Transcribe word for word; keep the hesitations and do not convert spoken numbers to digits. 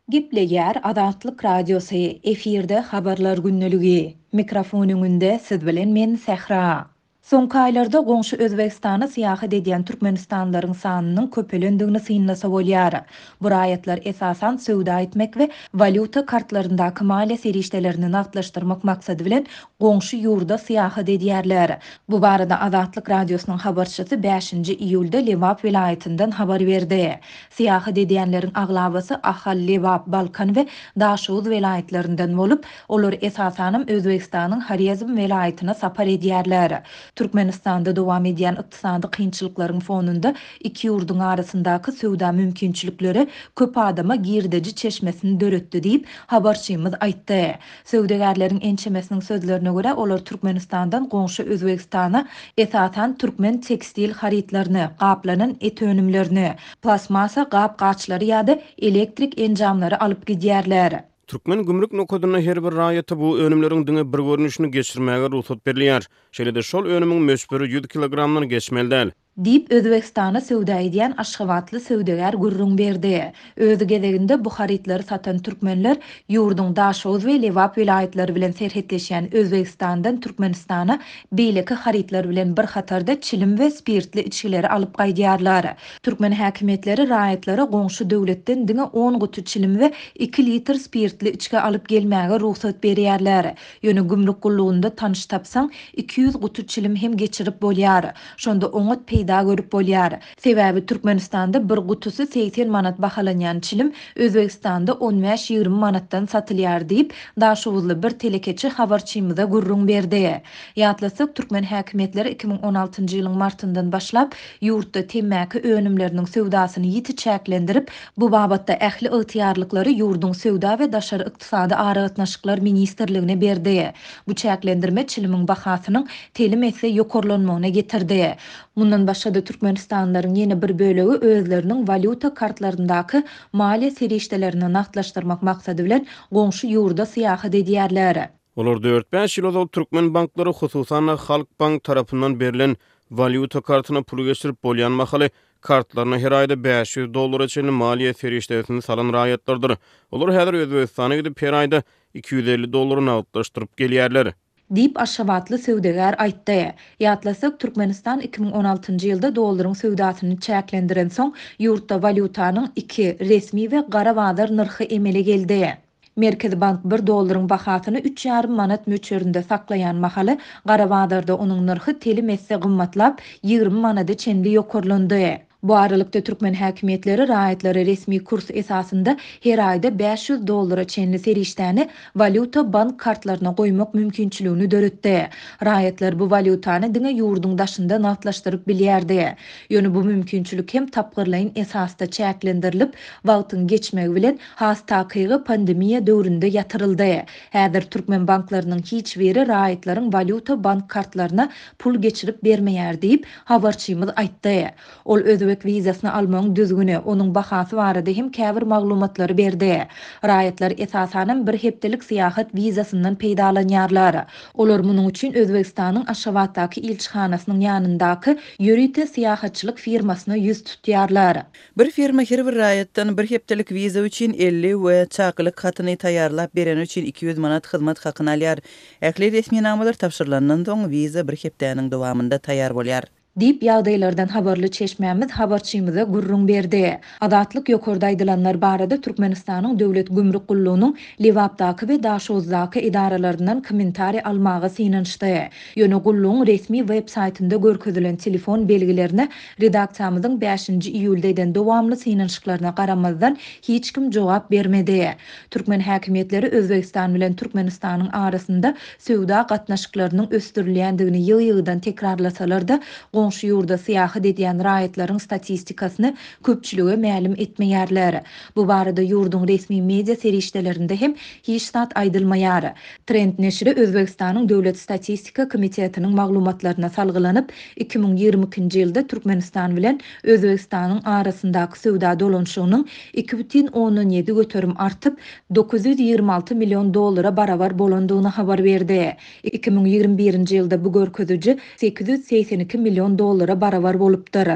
Gepleýär Azatlyk Radiosy, efirde Habarlar gündeligi. Mikrofon öňünde siz bilen men Sähra. Soňky aýlarda goňşy Özbegistana syýahat edýän türkmenistanlylaryň sanynyň köpelendigini synlasa bolýar. Bu raýatlar esasan söwda etmek we walýuta kartlaryndaky maliýe serişdelerini nagtlaşdyrmak maksady bilen goňşy ýurda syýahat edýärler. Bu barada Azatlyk Radiosynyň habarçysy bäşinji iýulda Lebap welaýatyndan habar berdi. Syýahat edýänleriň aglabasy Ahal, Lebap, Balkan we Daşoguz welaýatlaryndan bolup, olar esasanam Özbegistanyň Horezm welaýatyna sapar edýärler. Türkmenistanda dowam edýän ykdysady kynçylyklaryň fonunda iki ýurduň arasyndaky söwda mümkinçilikleri köp adama girdeji çeşmesini döretdi diýip, habarçymyz aýtdy. Söwdagärleriň ençemesiniň sözlerine görä, olar Türkmenistandan goňşy Özbegistana esasan türkmen tekstil harytlaryny, gaplanan et önümlerini, plastmassa gap-gaçlary ýa-da elektrik enjamlary alyp gidýärler. Türkmen gümrük nokadynda her bir raýata bu önümleriň diňe bir görnüşini geçirmäge rugsat berilýär. Şeýle-de şol önümiň möçberi ýüz kilogramdan geçmeli däl. Diýip, Özbegistana söwda edýän aşgabatly söwdagär gürrüň berdi. Öz gezeginde bu harytlary satan türkmenler ýurduň Daşoguz we Lebap welaýatlary bilen serhetleşýän Özbegistandan Türkmenistana beýleki harytlar bilen bir hatarda çilim we spirtli içgileri alyp gaýdýarlar. Türkmen häkimiýetleri raýatlara goňşy döwletden diňe on guty çilim we iki litr spirtli içgi alyp gelmäge rugsat berýärler. Ýöne gümrük gullugynda tanyş tapsaň, iki ýüz guty çilim hem geçirip bolýar. Şonda oňat peýda görüp bolýar. Sebäbi Türkmenistanda bir gutusy segsen manat bahalanýan çilim Özbegistanda on bäş-ýigrimi manatdan satylýar diýip, Daşoguzly bir telekeçi habarçymyza gürrüň berdi. Ýatlasak, türkmen häkimiýetleri iki müň on altynjy ýylyň martyndan başlap ýurtda temmäki önümleriniň söwdasyny ýiti çäklendirip, bu babatda ähli ygtyýarlyklary ýurduň söwda we daşary ykdysady aragatnaşyklar ministrligine berdi. Bu çäklendirme çilimiň bahasynyň telim esse ýokarlanmagyna getirdi. Mundan başga-da Türkmenistanlylaryň ýene bir bölegi özleriniň walýuta kartlaryndaky maliýe serişdelerini nagtlaşdyrmak maksady bilen goňşy ýurda syýahat edýärler. Olar dört-bäş ýyl ozal türkmen banklary, hususan-da Halk Bank tarapyndan berlen walýuta kartyna puly geçirip bolýan mahaly kartlaryna her aýda bäş ýüz dollara çenli maliýe serişdesini salan raýatlardyr. Olar häzir Özbegistana gidip her aýda iki ýüz elli dollary nagtlaşdyryp gelýärler. Diýip, aşgabatly söwdagär aýtdy. Ýatlasak, Türkmenistan iki müň on altynjy ýylda dollaryň söwdasyny çäklendiren soň, ýurtda walýutanyň iki resmi we gara bazar nyrhy emele geldi. Merkezi bank bir dollaryň bahasyny üç ýarym manat möçberinde saklaýan mahaly, gara bazarda onuň nyrhy telim esse gymmatlap, ýigrimi manada çenli ýokarlandy. Bu aralykda türkmen häkimiýetleri raýatlary resmi kurs esasynda her aýda bäş ýüz dollara çenli serişdäni walýuta bank kartlaryna goýmak mümkinçiligini döretdi. Raýatlar bu walýutany diňe ýurduň daşynda nagtlaşdyryp bilýärdi. Ýöne bu mümkinçilik hem tapgyrlaýyn esasda çäklendirilip, wagtyň geçmegi bilen has takygy pandemiýa döwründe ýatyryldy. Häzir türkmen banklarynyň hiç biri raýatlaryň walýuta bank kartlaryna pul geçirip bermeýär diýip, habarçymyz aýtdy. Ol özbek wizasyny almagyň düzgüni, onuň bahasy barada hem käbir maglumatlary berdi. Raýatlar esasanam bir hepdelik syýahat wizasyndan peýdalanýarlar. Olar munuň üçin Özbegistanyň Aşgabatdaky ilçihanasynyň ýanyndaky ýörite syýahatçylyk firmasyna ýüz tutýarlar. Bir firma her bir raýatdan bir hepdelik wiza üçin elli we çakylyk hatyny taýýarlap bereni üçin iki ýüz manat hyzmat hakyny alýar. Ähli resminamalar tabşyrylandan soň wiza bir hepdäniň dowamynda taýýar bolýar. Diýip, ýagdaýlardan habarly çeşmämiz habarçymyza gürrüň berdi. Azatlyk ýokarda aýdylanlar barada Türkmenistanyň Döwlet Gümrük Gullugynyň Lebapdaky we Daşoguzdaky edaralaryndan kommentariý almaga synanyşdy. Ýöne gullugyň resmi web saýtynda görkezilen telefon belgilerine redaksiýamyzyň bäşinji iýulda eden dowamly synanyşyklaryna garamazdan hiç kim jogap bermedi. Türkmen häkimiýetleri Özbegistan bilen Türkmenistanyň arasynda söwda gatnaşyklarynyň ösdürilýändigini ýygy-ýygydan tekrarlasalar-da, goňşy ýurda syýahat edýän raýatlaryň statistikasyny köpçülige mälim etmeýärler. Bu barada ýurduň resmi media serişdelerinde hem hiç zat aýdylmaýar. Trend neşiri Özbegistanyň Döwlet Statistika Komitetiniň maglumatlaryna salgylanyp, iki müň ýigrimi ikinji ýylda Türkmenistan bilen Özbegistanyň arasyndaky söwda dolanyşygynyň iki bütin ondan ýedi göterim artyp, dokuz ýüz ýigrimi alty million dollara barabar bolandygyny habar berdi. Iki müň ýigrimi birinji ýylda bu görkeziji sekiz ýüz segsen iki million dollara barabar bolupdyr.